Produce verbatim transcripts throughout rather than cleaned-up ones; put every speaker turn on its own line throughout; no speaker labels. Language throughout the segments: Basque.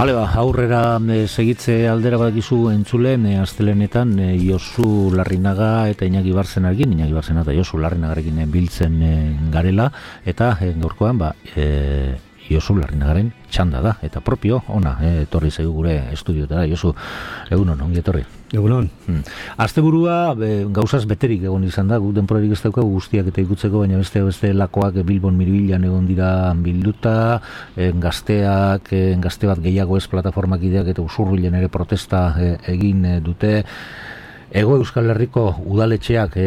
Bale, ba, aurrera e, segitze aldera badakizu entzulen, e, astelenetan e, Josu Larrinaga eta Iñaki Barzenarekin, Iñaki Barzena eta Josu Larrinagarekin e, biltzen e, garela, eta e, gaurkoan, ba, e, Josu Larrinagaren txanda da, eta propio, ona, e, etorri zaigu gure estudiotara. Josu, egunon, ongi etorri.
Egunon.
Hmm. Asteburua e, gauzaz beterik egon izan da, gu denporarik ez daukagu guztiak eta ikutzeko, baina beste beste lakoak Bilbon Mirbilan egon dira bilduta, e, gazteak, e, gazte bat gehiago ez plataformak ideak eta Usurbilen ere protesta e, egin e, dute. Ego Euskal Herriko udaletxeak e,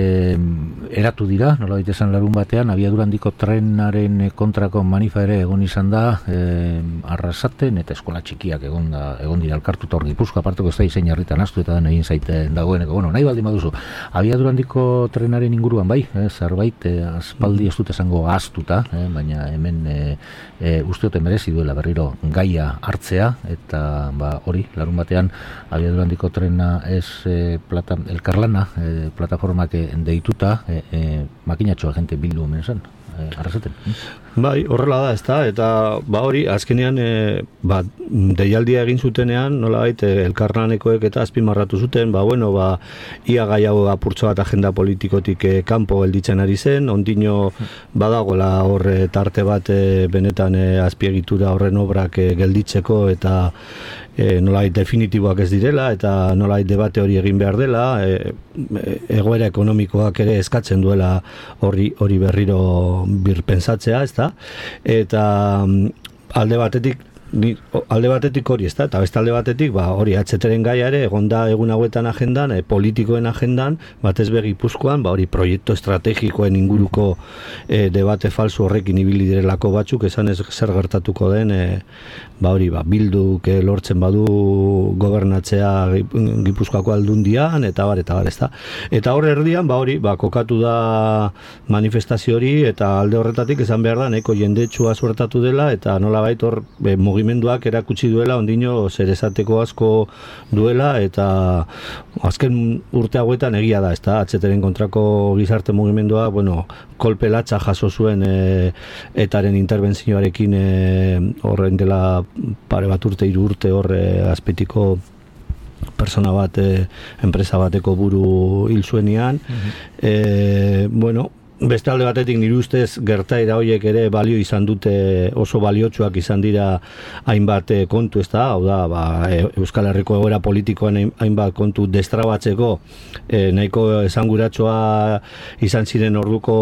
eratu dira, nola baita larun batean, abiadura handiko trenaren kontrako manifa ere egon izan da, e, Arrasaten eta eskola txikiak egon, da, egon dira elkartuta hor Gipuzkoa, aparteko ez da izein harritan astu eta den egin zaiten dagoeneko. Bueno, nahi baldin baduzu, abiadura handiko trenaren inguruan bai, e, zerbait, e, aspaldi ez dut esango astuta, e, baina hemen e, e, usteote merezi duela berriro gaia hartzea, eta ba, hori, larun batean, abiadura handiko trena ez e, plata elkarlana eh, plataformak deituta eh, eh, makinatxoa gente bildu hemen zen, eh, Arrasaten.
Bai, horrela da, ezta, eta ba hori, azkenean e, ba, deialdia egin zutenean, nolabait e, elkarlanekoek eta azpimarratu zuten, ba bueno, ba ia gai hau apurtxo bat agenda politikotik e, kanpo gelditzen ari zen, ondino badagola hor e, tarte bat e, benetan e, azpiegitura horren obrak e, gelditzeko eta e, nolabait definitiboak ez direla eta nolabait debate hori egin behar dela, e, egoera ekonomikoak ere eskatzen duela hori hori berriro birpentsatzea, ezta? Eta alde batetik Ni, alde batetik hori, ez da, eta beste alde batetik, ba, hori, atzeteren gaia ere, egonda egun hauetan agendan, e, politikoen agendan, batez be Gipuzkoan, ba, hori, proiektu estrategikoen inguruko e, debate falso horrekin ibili direlako batzuk, esan ez zer gertatuko den, e, ba, hori, ba, bilduk e, lortzen badu gobernatzea Gipuzkoako aldundian, eta bar, eta bar, ez da. Eta hor erdian, ba, hori, ba, kokatu da manifestazio hori, eta alde horretatik esan behar da, neko jendetsua suertatu dela, eta nolabait hor, e, mugimenduak erakutsi duela ondino zer esateko asko duela eta azken urte hauetan egia da, ezta, atzeteren kontrako gizarte mugimendua, bueno, kolpe latza jaso zuen e, etaren interbentzioarekin e, horren dela pare bat urte, hiru urte hor e, azpetiko persona bat, e, enpresa bateko buru hil zuenean. Mm-hmm. e, bueno, beste alde batetik nire ustez gertaera horiek ere balio izan dute, oso baliotsuak izan dira hainbat kontu, ez da, hau da, ba, Euskal Herriko egoera politikoan hainbat kontu destrabatzeko e, nahiko esanguratsoa izan ziren orduko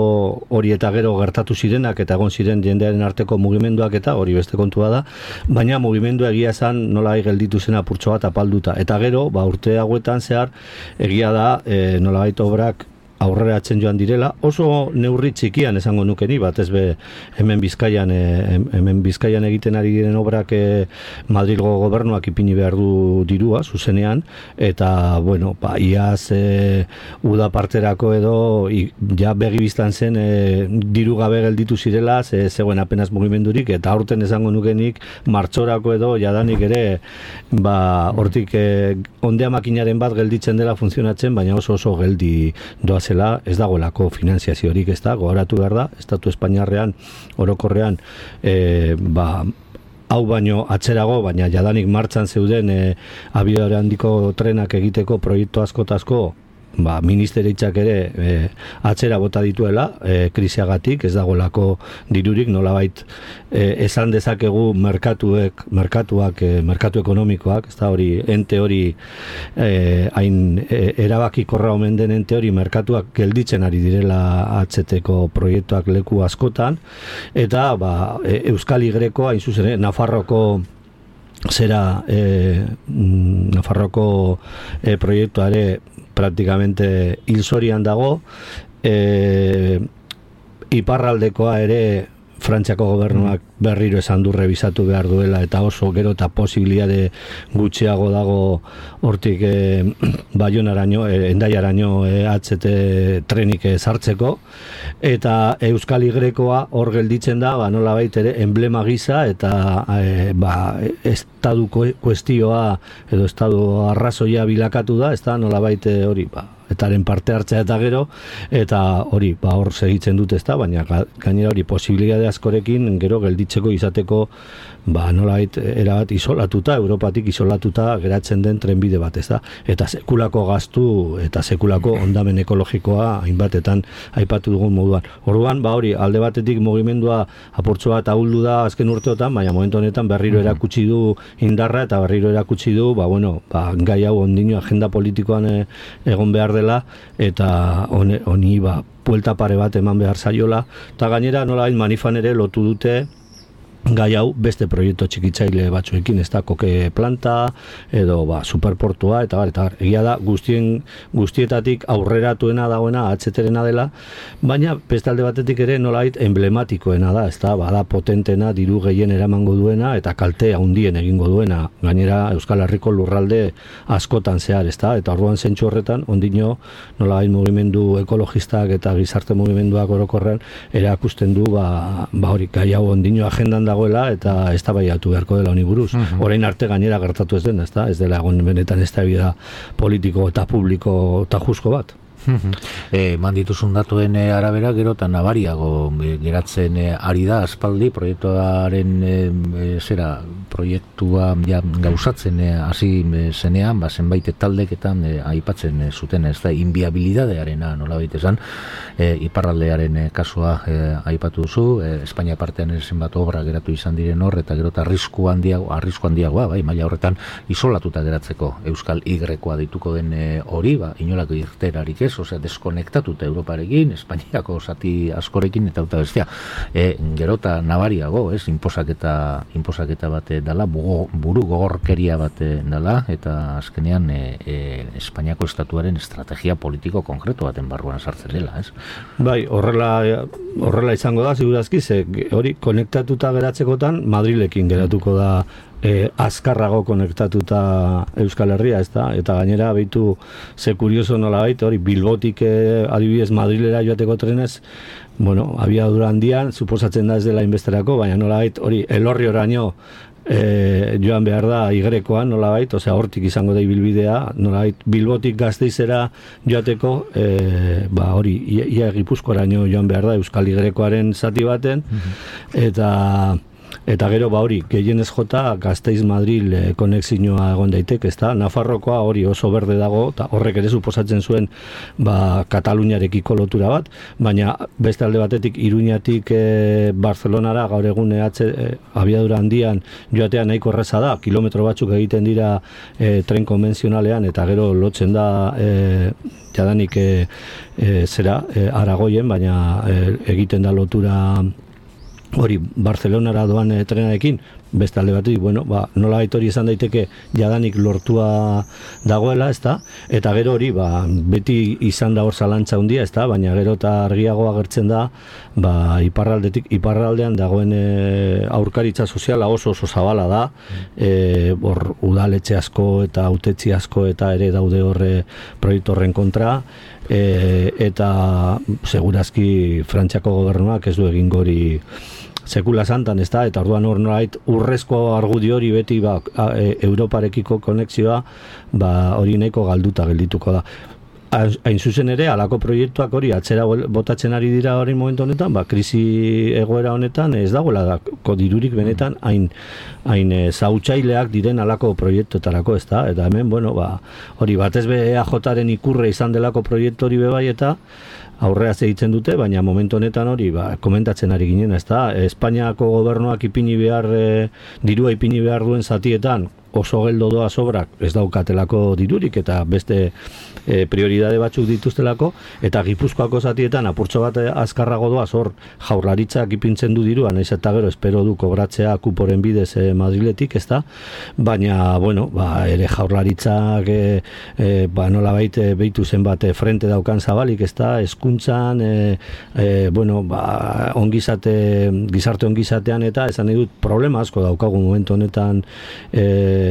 hori eta gero gertatu zirenak eta egon ziren jendearen arteko mugimenduak eta hori beste kontua da, baina mugimendu egia zan nola gelditu zen apurtxo bat apalduta, eta gero, ba, urte hauetan zehar egia da e, nola baita obrak aurrera atzen joan direla, oso neurri txikian esango nukeni, bat ez be hemen Bizkaian, e, hemen Bizkaian egiten ari diren obrak e, Madrilgo gobernuak ipini behar du dirua, zuzenean, eta, bueno, ba, iaz e, uda parterako edo i, ja begi biztan zen e, diru gabe gelditu zirela, ze, zegoen apenas mugimendurik, eta aurten esango nukenik martxorako edo jadanik ere, ba, hortik e, ondea makinaren bat gelditzen dela funtzionatzen, baina oso oso geldi doaz zela, ez dagoelako finanziaziorik, ez da, gogoratu behar da, Estatu Espainiarrean, orokorrean, e, ba, hau baino atzerago, baina jadanik martxan zeuden e, abiadura handiko trenak egiteko proiektu asko eta asko, ba, ministeritzak ere e, atzera bota dituela, e, krisiagatik, ez dagoelako dirurik, nolabait e, esan dezakegu merkatuek, merkatuak, e, merkatu ekonomikoak, ez da hori, ente hori e, hain e, erabakikorra omen den ente hori merkatuak gelditzen ari direla atzeteko proiektuak leku askotan, eta ba, e, Euskal Y-ko, hain zuzen, Nafarroko zera e, Nafarroko e, proiektuare praktikamente hilzorian dago, e, iparraldekoa ere Frantziako gobernuak berriro esan du revisatu behar duela eta oso gero eta posibilitate gutxiago dago hortik e, Baionaraino, e, Hendaiaraino e, H T trenik e, sartzeko eta Euskal Y-koa hor gelditzen da, ba, nolabait ere enblema gisa eta e, ba, estadu kuestioa edo estadu arrazoia bilakatu da, ez da nolabait hori, ba, etaren parte hartzea eta gero, eta hori, ba, hor segitzen dute, ez da, baina gainera hori posibilitate askorekin gero gelditzen segitzeko izateko ba nolait erabat isolatuta, Europatik isolatuta geratzen den trenbide bat, ez da? Eta sekulako gastu eta sekulako ondamen ekologikoa hainbatetan aipatu dugun moduan. Orduan, ba hori, alde batetik mugimendua apurtxo bat ahuldu da azken urteotan, baina momentu honetan berriro erakutsi du indarra eta berriro erakutsi du, ba bueno, ba gai hau ondino agenda politikoan e, egon behar dela eta honi, honi ba buelta pare bat eman behar zaiola, eta gainera nolabait Manifan ere lotu dute gai hau beste proiektu txikitzaile batzuekin, ez da, koke planta edo ba, superportua eta bar, eta bar, egia da guztien, guztietatik aurreratuena dagoena, atzeterena dela, baina beste alde batetik ere nolait emblematikoena da, ez da, bada potentena, diru gehien eramango duena eta kalte handien egingo duena, gainera Euskal Herriko lurralde askotan zehar, ez da, eta orduan zentsu horretan, ondino nolait mugimendu ekologistak eta gizarte mugimenduak orokorrean erakusten du, ba, ba hori, gai hau ondino agendan dagoela eta eztabaidatu beharko dela honi buruz. Uh-huh. Orain arte gainera gertatu ez den, ezta? Ez dela egon benetan eztabaida politiko eta publiko eta jusko bat.
E, mandituzun datuen e, arabera gero eta nabariago e, geratzen e, ari da aspaldi proiektuaren e, e, zera proiektua ja, gauzatzen hasi e, zenean, ba, zenbait taldeketan e, aipatzen e, zuten, ez da, inviabilidadearena nolabait esan, e, iparraldearen e, kasua e, aipatu duzu, e, Espainia partean zenbat obra geratu izan diren hor, eta gero eta arrisku handiago, arrisku handiagoa, bai, maila horretan isolatuta geratzeko Euskal Y-koa dituko den e, hori, ba, inolako irterarik ez, osea, deskonektatuta Europarekin, Espainiako zati askorekin eta eta bestia. E, gero eta nabariago, ez, inposaketa, inposaketa bat dela, buru gogorkeria bat dela, eta azkenean e, e, Espainiako estatuaren estrategia politiko konkretu baten barruan sartzen dela, ez?
Bai, horrela, horrela izango da, segurazki, ze hori konektatuta geratzekotan Madrilekin geratuko da E, azkarrago konektatuta Euskal Herria, ez da? Eta gainera behitu ze kurioso nola baita, hori Bilbotik e, adibidez Madrilera joateko trenez, bueno, abiadura handian, suposatzen da ez dela inbesterako, baina nola baita, hori Elorri oraino e, joan behar da igrekoan, nola baita, osea hortik izango da ibilbidea, nola baita Bilbotik Gasteizera joateko, e, ba hori, ia, ia Gipuzkoaraino joan behar da Euskal Igrekoaren zati baten, eta Eta gero ba hori, gehienez jota Gasteiz-Madril e, konexioa egon daiteke, ezta? Nafarrokoa hori oso berde dago, eta horrek ere suposatzen zuen ba, Kataluniarekiko lotura bat, baina beste alde batetik Iruñatik e, Barcelonara gaur egun atze, e, abiadura handian joatea nahiko erraza da, kilometro batzuk egiten dira e, tren konbentzionalean, eta gero lotzen da e, jadanik e, e, zera e, Aragoien, baina e, egiten da lotura hori Barcelonara doan e, trenarekin, beste alde batetik, bueno, ba, nola hori izan daiteke jadanik lortua dagoela, ezta? Eta gero hori, ba, beti izan da hor zalantza handia, ezta? Baina gero eta argiago agertzen da, ba, iparraldetik, iparraldean dagoen e, aurkaritza soziala oso oso zabala da, e, hor udaletxe asko eta hautetzi asko eta ere daude horre proiektu horren kontra, e, eta segurazki Frantziako gobernuak ez du egingo hori sekula santan, ez da, eta orduan hor nolait urrezko argudio hori beti ba, e, Europarekiko konexioa ba, hori nahiko galduta geldituko da. Hain zuzen ere, halako proiektuak hori atzera botatzen ari dira hori momentu honetan, ba, krisi egoera honetan ez dagoela dako dirurik benetan hain, hain e, zautsaileak diren halako proiektuetarako, ez da, eta hemen, bueno, ba, hori batez be E A Jaren ikurre izan delako proiektu hori bebai eta aurrea egiten dute, baina momentu honetan hori ba, komentatzen ari ginen, ez da, Espainiako gobernuak ipini behar, e, dirua ipini behar duen zatietan, oso geldo doa sobrak ez daukatelako dirurik eta beste e, prioridade batzuk dituztelako, eta Gipuzkoako zatietan apurtxo bat azkarrago doa zor Jaurlaritzak ipintzen du dirua, naiz eta gero espero du kobratzea kuporen bidez e, Madriletik, ez da, baina, bueno, ba, ere Jaurlaritzak e, e, ba, nola baite behitu zenbat e, frente daukan zabalik, ez da, eskuntzan, e, e, bueno, ba, ongizate, gizarte ongizatean eta esan nahi dut problema asko daukagu momentu honetan e,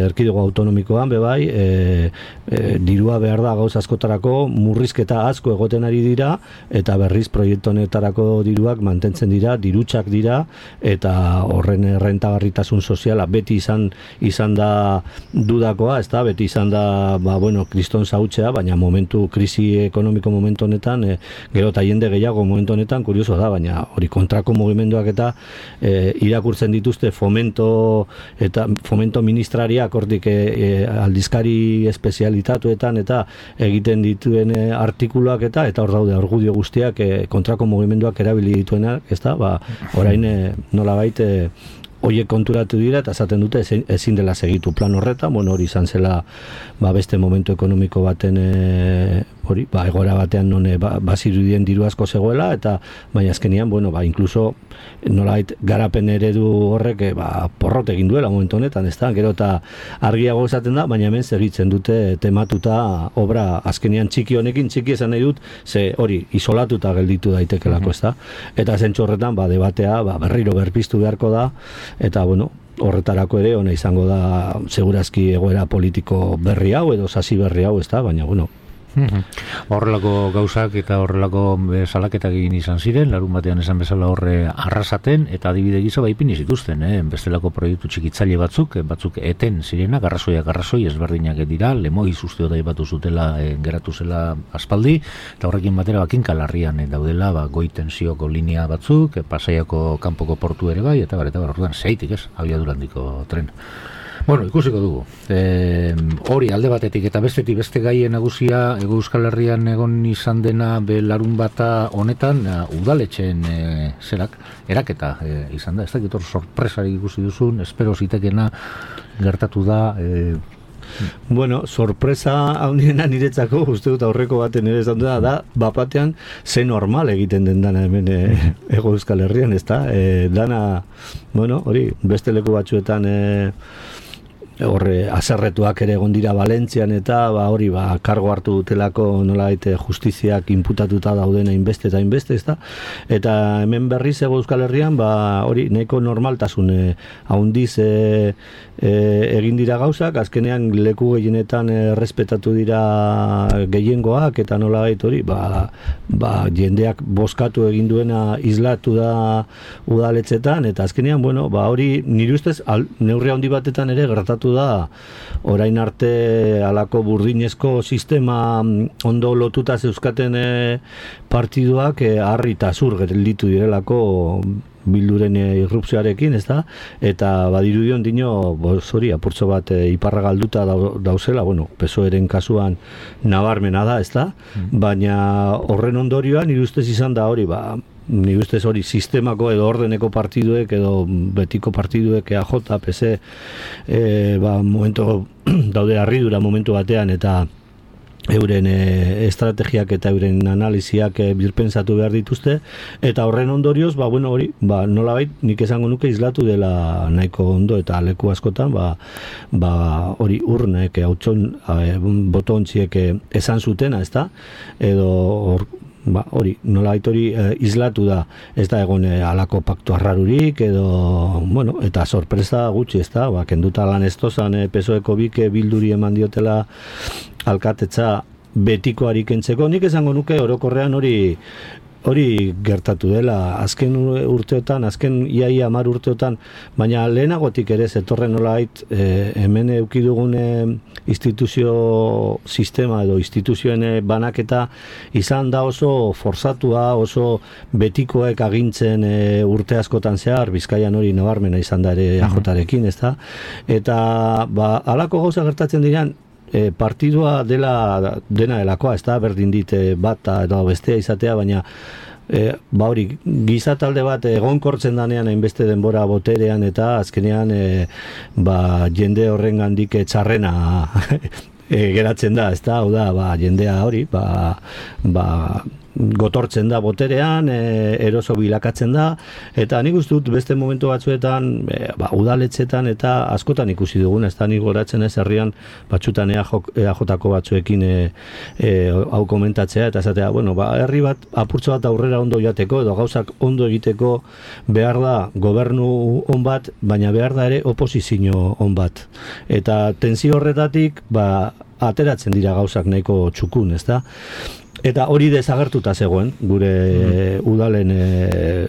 erkidego autonomikoan bebai, e, e, dirua behar da gauz askotarako, murrizketa asko egoten ari dira, eta berriz proiektu honetarako diruak mantentzen dira, dirutsak dira, eta horren errentagarritasun soziala beti izan izan da dudakoa, ez da, beti izan da, ba, bueno, kriston zautzea, baina momentu, krisi ekonomiko momentu honetan, e, gero eta jende gehiago momentu honetan, kurioso da, baina hori kontrako mugimenduak eta e, irakurtzen dituzte fomento eta fomento ministrariak hortik e, e, aldizkari espezialitatuetan eta egiten dituen e, artikuluak eta eta hor daude argudio guztiak e, kontrako mugimenduak erabili dituenak, ez da, ba, orain e, nolabait e, horiek konturatu dira eta esaten dute ezin, ezin dela segitu plan horretan, bueno, hori izan zela ba, beste momentu ekonomiko baten e, hori, ba, egoera batean non ba, bazirudien diru asko zegoela, eta baina azkenian, bueno, ba, inkluso nolait garapen eredu horrek e, ba, porrot egin duela momentu honetan, ez da, gero eta argiago esaten da, baina hemen segitzen dute tematuta obra azkenian txiki honekin, txiki esan nahi dut, ze hori, isolatuta gelditu daitekelako, ez da, eta zentzu horretan, ba, debatea, ba, berriro berpiztu beharko da, eta, bueno, horretarako ere, ona izango da, segurazki egoera politiko berri hau, edo sasi berri hau, ez da, baina, bueno,
horrelako gauzak eta horrelako salaketak egin izan ziren, larun batean esan bezala horre arrasaten, eta adibide gisa baipini zituzten, eh? Bestelako proiektu txikitzaile batzuk, batzuk eten zirenak, arrazoiak arrazoi ezberdinak dira, Lemoiz uste da ibatu zutela, eh, geratu zela aspaldi, eta horrekin batera bakinka larrian eh, daudela, ba, goi tensioko linea batzuk, eh, Pasaiako kanpoko portu ere bai, eta bar, eta bar, orduan, zeitik ez, abiadurandiko tren. Bueno, ikusiko dugu. E, hori alde batetik eta bestetik beste gaien nagusia Hego Euskal Herrian egon izan dena be larun bata honetan udaletxeen e, zerak eraketa e, izan da. Ez dakit hor sorpresarik ikusi duzun, espero zitekena gertatu da. E,
Bueno, sorpresa handiena niretzako, uste dut aurreko baten ere esan da, da, bapatean ze normal egiten den dana hemen e, Hego Euskal Herrian, ez da? E, dana, bueno, hori, beste leku batzuetan e, horre haserretuak ere egon dira Valentzian eta ba hori ba kargo hartu dutelako nolabait justiziak inputatuta daudena inbeste eta inbeste, ezta? Eta hemen berriz Hego Euskal Herrian ba hori nahiko normaltasun e, handiz e, e, egin dira gauzak, azkenean leku gehienetan errespetatu dira gehiengoak eta nolabait hori ba, ba jendeak bozkatu egin duena islatu da udaletxetan eta azkenean bueno, ba hori nire ustez al, neurri handi batetan ere gertatu da orain arte alako burdinezko sistema ondo lotuta zeuzkaten e, partiduak e, harri eta zur gelditu direlako Bilduren irrupzioarekin, ez da? Eta badirudion dino, hori, apurtzo bat e, iparra galduta dauzela, bueno, P S O E-ren kasuan nabarmena da, ez da? Mm. Baina horren ondorioan, nire ustez izan da hori, ba, nire ustez hori sistemako edo ordeneko partiduek edo betiko partiduek E A J, P S, e, ba, momento daude harridura momentu batean eta euren e, estrategiak eta euren analiziak e, birpentsatu behar dituzte eta horren ondorioz, ba, bueno, hori, ba, nolabait nik esango nuke islatu dela nahiko ondo eta leku askotan, ba, ba hori urnek, hautson, e, botontziek e, esan zutena, ez da? Edo hor, ba, hori, nolabait hori e, islatu da, ez da egon e, alako paktu arrarurik edo, bueno, eta sorpresa gutxi, ez da? Ba, kenduta lan ez tozan e, P S O E-ko bike Bilduri eman diotela alkatetza betikoari kentzeko, nik esango nuke orokorrean hori hori gertatu dela azken urteotan, azken iaia hamar urteotan, baina lehenagotik ere zetorren nolait e, hemen eduki dugun e, instituzio sistema edo instituzioen e, banaketa izan da oso forzatua, oso betikoek agintzen e, urte askotan zehar, Bizkaian hori nabarmena izan da ere E A J-rekin, ez da? Eta ba, halako gauza gertatzen diran, E, partidua dela dena delakoa, ez da, berdin dit e, bata edo bestea izatea, baina e, ba hori, giza talde bat egonkortzen danean hainbeste denbora boterean eta azkenean e, ba, jende horren gandik txarrena e, geratzen da, ez da, hau da, ba, jendea hori, ba, ba gotortzen da boterean, e, eroso bilakatzen da, eta nik uste dut beste momentu batzuetan, e, ba, udaletxetan eta askotan ikusi dugun, ez da nik goratzen ez herrian batxutan E A Jko batzuekin e, e, hau komentatzea, eta esatea, bueno, ba, herri bat apurtxo bat aurrera ondo joateko, edo gauzak ondo egiteko behar da gobernu on bat, baina behar da ere oposizio on bat. Eta tensio horretatik, ba, ateratzen dira gauzak nahiko txukun, ezta? Eta hori desagertuta zegoen, gure mm. udalen e,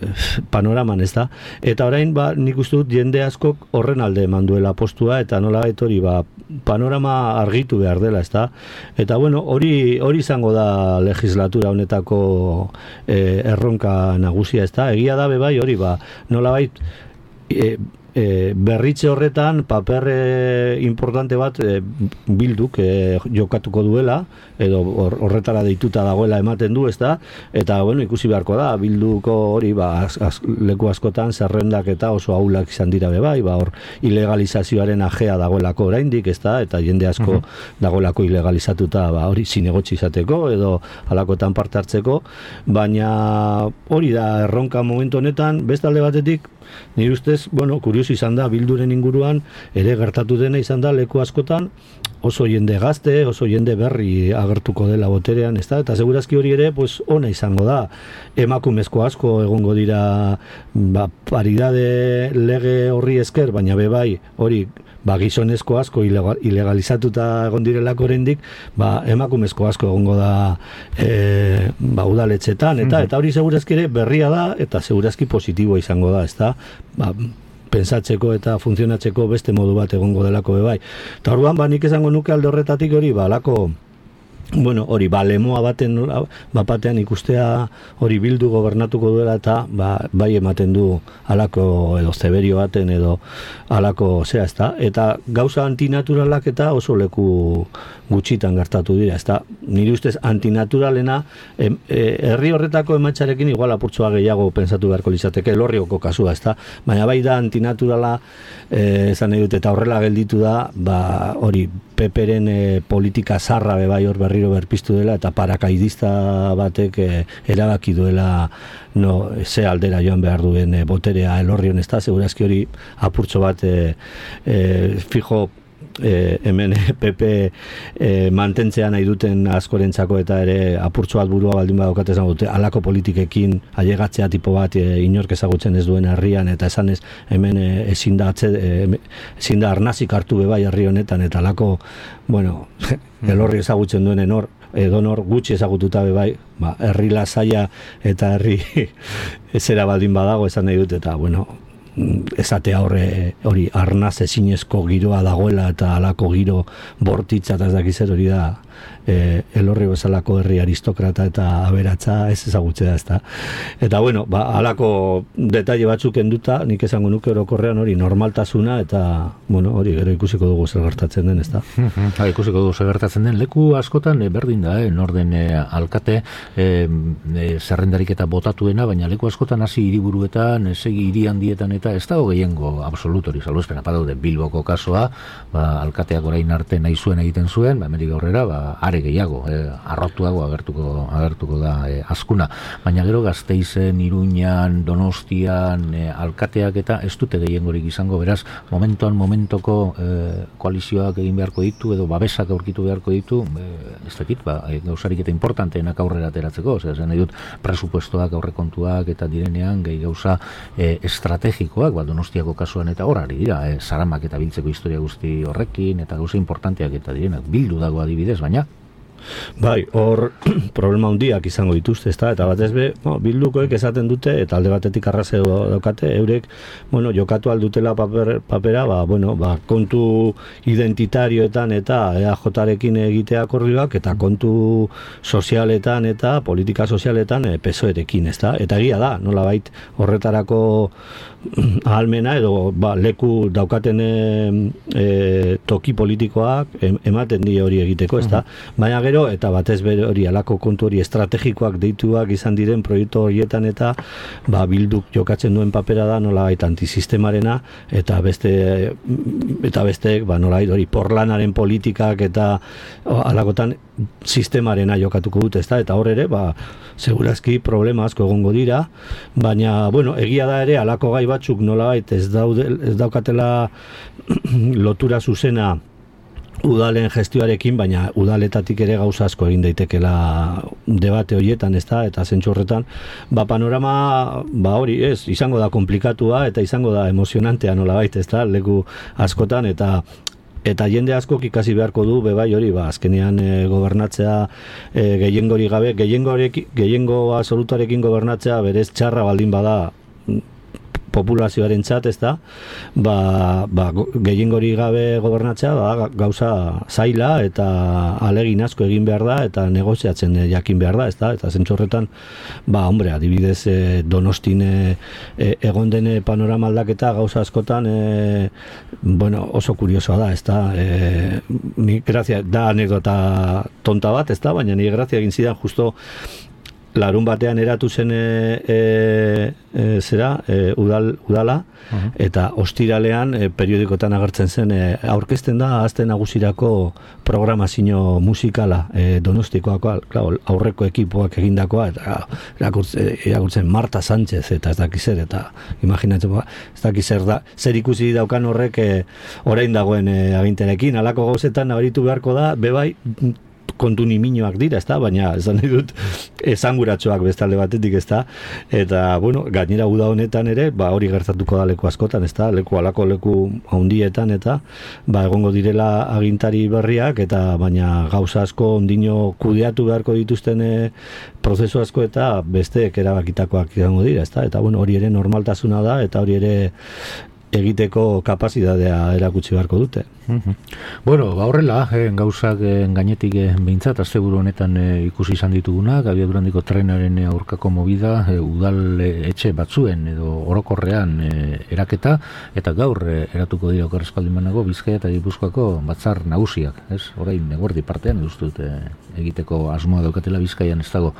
panoraman, ez da? Eta orain, ba, nik uste dut jende askok horren alde eman duela postua, eta nola hori, ba, panorama argitu behar dela, ez da? Eta, bueno, hori hori izango da legislatura honetako e, erronka nagusia, ez da? Egia da, bebai, hori, ba, nola bait, e, E, berritze horretan paper e, importante bat e, Bilduk e, jokatuko duela, edo horretara deituta dagoela ematen du, ezta? Eta bueno, ikusi beharko da Bilduko hori, ba, az, az, leku askotan zerrendak eta oso ahulak izan dira be bai, ba, hor ilegalizazioaren ajea dagoelako oraindik, ezta? Eta jende asko uh-huh. dagoelako ilegalizatuta, ba, hori zinegotzi izateko edo halakoetan parte hartzeko, baina hori da erronka momentu honetan, beste alde batetik nire ustez, bueno, kurioso izan da Bilduren inguruan, ere gertatu dena izan da leku askotan, oso jende gazte, oso jende berri agertuko dela boterean, ez da? Eta segurazki hori ere, pues, ona izango da. Emakumezko asko egongo dira, ba, paridade lege horri esker, baina bebai, hori, ba, gizonezko asko ilegalizatuta egon direlako oraindik, ba, emakumezko asko egongo da e, ba, udaletxetan, eta eta hori segurazki ere berria da, eta segurazki positiboa izango da, ez da? Ba, pensatzeko eta funtzionatzeko beste modu bat egongo delako bebai. Eta orduan, ba, nik esango nuke alde horretatik hori, ba, alako, bueno, hori, ba, lemoa baten, bapatean ikustea hori Bildu gobernatuko duela eta, ba, bai ematen du alako edo zeberio baten edo alako, zea, ez da? Eta gauza antinaturalak eta oso leku gutxitan gertatu dira, ez da? Nire ustez antinaturalena, e, e, herri horretako ematxarekin igual apurtzoa gehiago pensatu beharko litzateke, Elorrioko kasua, ez da? Baina bai da antinaturala, e, esan nahi dut, eta horrela gelditu da, ba, hori, Peperen e, politika zarra bebai hor berriro berpiztu dela, eta parakaidista batek e, erabaki duela no, ze aldera joan behar duen e, boterea Elorrion, ez da? Segurazki hori apurtzo bat e, e, fijo E, hemen P P e, mantentzea nahi duten askorentzako eta ere apurtxo bat burua baldin badaukat esan dute, alako politikekin ailegatzea tipo bat e, inork ezagutzen ez duen herrian, eta esan ez hemen e, ezin da atze, e, ezin da arnazik hartu bebai herri honetan, eta alako, bueno, Elorri ezagutzen duenen hor, edonor gutxi ezagututa bebai, ba, herri lasaia eta herri ezera baldin badago esan nahi dut, eta bueno, esatea horre hori arnaz ezinezko giroa dagoela eta alako giro bortitza eta ez dakizer hori da e, Elorri bezalako herri aristokrata eta aberatza ez ezagutzea, ez da. Eta bueno, ba, alako detaile batzuk enduta, nik esango nuke orokorrean hori normaltasuna eta bueno, hori gero ikusiko dugu zer gertatzen den, ez da.
Ha, ikusiko dugu zer gertatzen den, leku askotan e, berdin da, eh, norden e, alkate e, e, zerrendarik eta botatuena, baina leku askotan hasi hiriburuetan, segi hiri handietan eta ez dago gehiengo absolutori, salbuespen apadaude Bilboko kasoa, ba, alkateak orain arte nahi zuen egiten zuen, ba, hemendik aurrera, ba, are gehiago, e, arrotuago agertuko, agertuko da e, askuna, baina gero Gasteizen, Iruñan, Donostian, e, alkateak eta ez dute gehiengorik izango, beraz, momentuan momentoko e, koalizioak egin beharko ditu, edo babesak aurkitu beharko ditu, e, ez dakit, ba, e, gauzarik eta importanteenak aurrera ateratzeko, zer zen nahi dut, presupuestoak, aurrekontuak eta direnean, gehi gauza e, estrategikoak, ba, Donostiako kasuan eta horari dira, e, zaramak eta biltzeko historia guzti horrekin, eta gauza importanteak eta direnak, Bildu dago adibidez, baina
bai, hor problema handiak izango dituzte, ezta? Eta batez be, no, Bildukoek esaten dute eta alde batetik arrazio daukate, eurek, bueno, jokatu aldutela paper, papera, ba, bueno, ba, kontu identitarioetan eta E A J-rekin egitea akordioak eta kontu sozialetan eta politika sozialetan e, P S O E-rekin, ezta? Eta egia da, nolabait horretarako ahalmena edo ba, leku daukaten e, e, toki politikoak ematen die hori egiteko, ezta? Uh-huh. Baina gero gero, eta batez bere hori alako kontu hori estrategikoak deituak izan diren proiektu horietan, eta ba, Bilduk jokatzen duen papera da nolabait antisistemarena, eta beste eta besteek ba, nolabait hori porlanaren politikak eta alakotan sistemarena jokatuko dute, ezta? Eta hor ere, ba, segurazki problema asko egongo dira, baina, bueno, egia da ere, alako gai batzuk nolabait ez, daude, ez daukatela lotura zuzena udalen gestioarekin, baina udaletatik ere gauza asko egin daitekela debate horietan, ezta? Eta zentzu horretan, ba, panorama, ba, hori, ez, izango da komplikatua eta izango da emozionantea nolabait, ezta? Leku askotan, eta eta jende askok ikasi beharko du bebai hori, ba, azkenean e, gobernatzea e, gehiengori gabe, gehiengo absolutarekin gobernatzea berez txarra baldin bada populazioaren txat, ez da, ba, ba, gehiengori gabe gobernatzea ba, gauza zaila eta alegin asko egin behar da eta negoziatzen jakin behar da, ez da, eta zentzorretan, ba, hombre, adibidez e, Donostin e, egon dene panorama aldaketa gauza askotan e, bueno, oso kuriosoa da, ez da, e, ni grazia, da anekdota tonta bat, ez da, baina ni grazia egin zidan justo larun batean eratu zen e, e, e, zera, e, udal, udala, uh-huh. Eta ostiralean e, periodikotan agertzen zen e, aurkezten da Aste Nagusirako programazio musikala e, Donostikoakoa, claro, aurreko ekipoak egindakoa, eta irakurtzen Marta Sánchez eta ez dakiz zer, eta imaginatzen, ez dakiz zer da, zer ikusi daukan horrek e, orain dagoen e, aginterekin, alako gauzetan nabaritu beharko da, bebai, kontu niminoak dira, ezta, baina esan nahi dut esanguratsuak bestalde batetik, ezta, eta, bueno, gainera uda honetan ere, ba, hori gertatuko da leku askotan, ezta, leku alako leku handietan, eta, ba, egongo direla agintari berriak, eta, baina gauza asko ondino kudeatu beharko dituzten e, prozesu asko, eta besteek erabakitakoak izango dira, ezta, eta, bueno, hori ere normaltasuna da, eta hori ere egiteko kapazitatea erakutsi beharko dute.
Mm-hmm. Bueno, ba horrela, eh, gauzak eh, gainetik eh, behintzat, asteburu honetan eh, ikusi izan ditugunak, abiadurandiko trenaren eh, aurkako movida, eh, udal eh, etxe batzuen edo orokorrean eh, eraketa, eta gaur eh, eratuko dira okarrezkaldimanago Bizkaia eta Gipuzkoako batzar nagusiak, ez? Orain, eguerdi partean, duztut, eh, egiteko asmoa daukatela Bizkaian, ez dago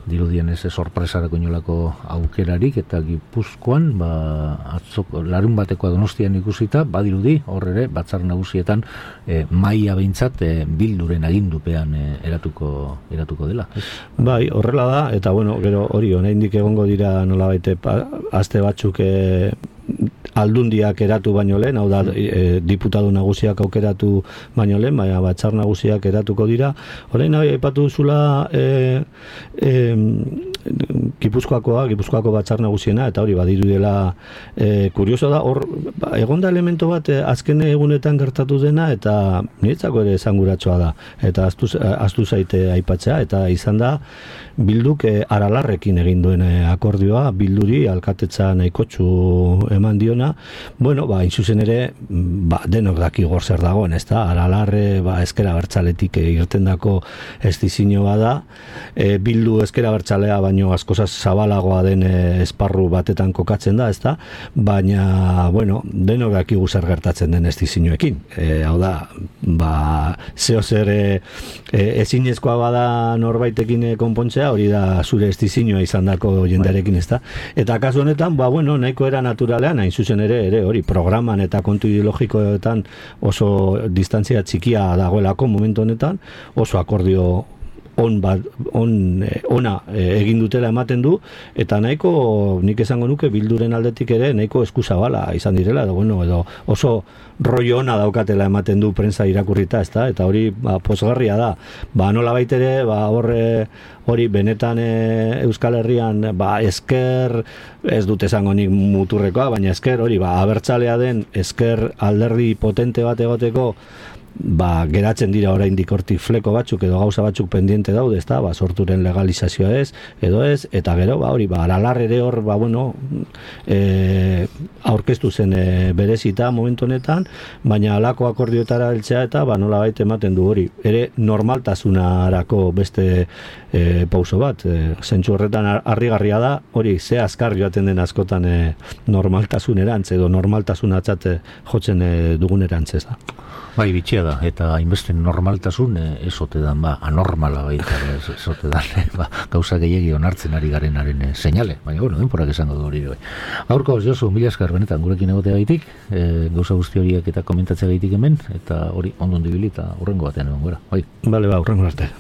dirudien ez sorpresarako inolako aukerarik, eta Gipuzkoan ba, atzoko, larun batekoa Donostian ikusita, badirudi hor ere batzar nagusietan e, maila behintzat e, Bilduren agindupean e, eratuko, eratuko dela, ez?
Bai, horrela da, eta bueno, gero hori oraindik egongo dira nolabait aste batzuk e, aldundiak eratu baino lehen, hau da, e, diputatu nagusiak aukeratu baino lehen, baina batzar nagusiak eratuko dira. Orain nahi aipatu duzula e, e, Gipuzkoakoa, Gipuzkoako batzar nagusiena, eta hori badiru dela e, kurioso da, hor, ba, egonda elemento bat e, azken egunetan gertatu dena, eta niretzako ere esanguratsua da, eta aztu, aztu zaite aipatzea, eta izan da, Bilduk e, Aralarrekin egin duen e, akordioa, Bilduri alkatetza nahikotxu eman diona, bueno, ba, inzuzen ere, ba, denok daki gor zer dagoen, ez da, Aralarre, ba, ezkera bertzaletik e, irtendako estizino bada, e, Bildu ezkera bertzalea baino askozaz zabalagoa den e, esparru batetan kokatzen da, ez da, baina, bueno, denok daki zer gertatzen den estizinoekin, e, hau da, ba, zeo zer e, e, ezinezkoa bada norbaitekin e, konpontzea, hori da zure estizinoa izan dako jendearekin, ez da. Eta kasu honetan, ba, bueno, nahiko era naturalean, hain zuzen ere, ere, hori, programan eta kontu ideologikoetan oso distantzia txikia dagoelako momentu honetan, oso akordio on bat, on, ona egin dutela ematen du, eta nahiko, nik esango nuke, Bilduren aldetik ere, nahiko eskuzabala izan direla, edo, bueno, edo oso rollo ona daukatela ematen du prensa irakurrita, ezta, eta hori ba, posgarria da. Ba, nola baitere, ba, horre, hori benetan e, Euskal Herrian, ba, esker, ez dut esango nik muturrekoa, baina esker, hori, ba, abertzalea den, esker alderdi potente bat egoteko, ba, geratzen dira oraindik hortik fleko batzuk edo gauza batzuk pendiente daude, ezta, ba, sorturen legalizazioa ez, edo ez, eta gero, ba, hori, ba, Aralar ere hor, ba, bueno, e, aurkeztu zen e, berezita momentu honetan, baina alako akordioetara heltzea eta, ba, nola baita ematen du hori, ere normaltasunarako beste e, pauso bat, e, zentzu horretan harrigarria da, hori, ze azkar joaten den askotan e, normaltasunerantz edo normaltasunatzat jotzen e, dugunerantz, ez da.
Bai, bitxia da, eta hainbeste normaltasun ez ote dan, ba, anormala baita, ez ote dan, ba, gauza gehiagi onartzen ari garenaren seinale, baina, bueno, denporak esango du hori bai. Aurko, Josu, mila esker benetan gurekin egotea gaitik, e, gauza guzti horiek eta komentatzea gaitik hemen, eta hori ondo ondibili eta hurrengo batean egon gara, bai.
Bale, ba, hurrengo arte.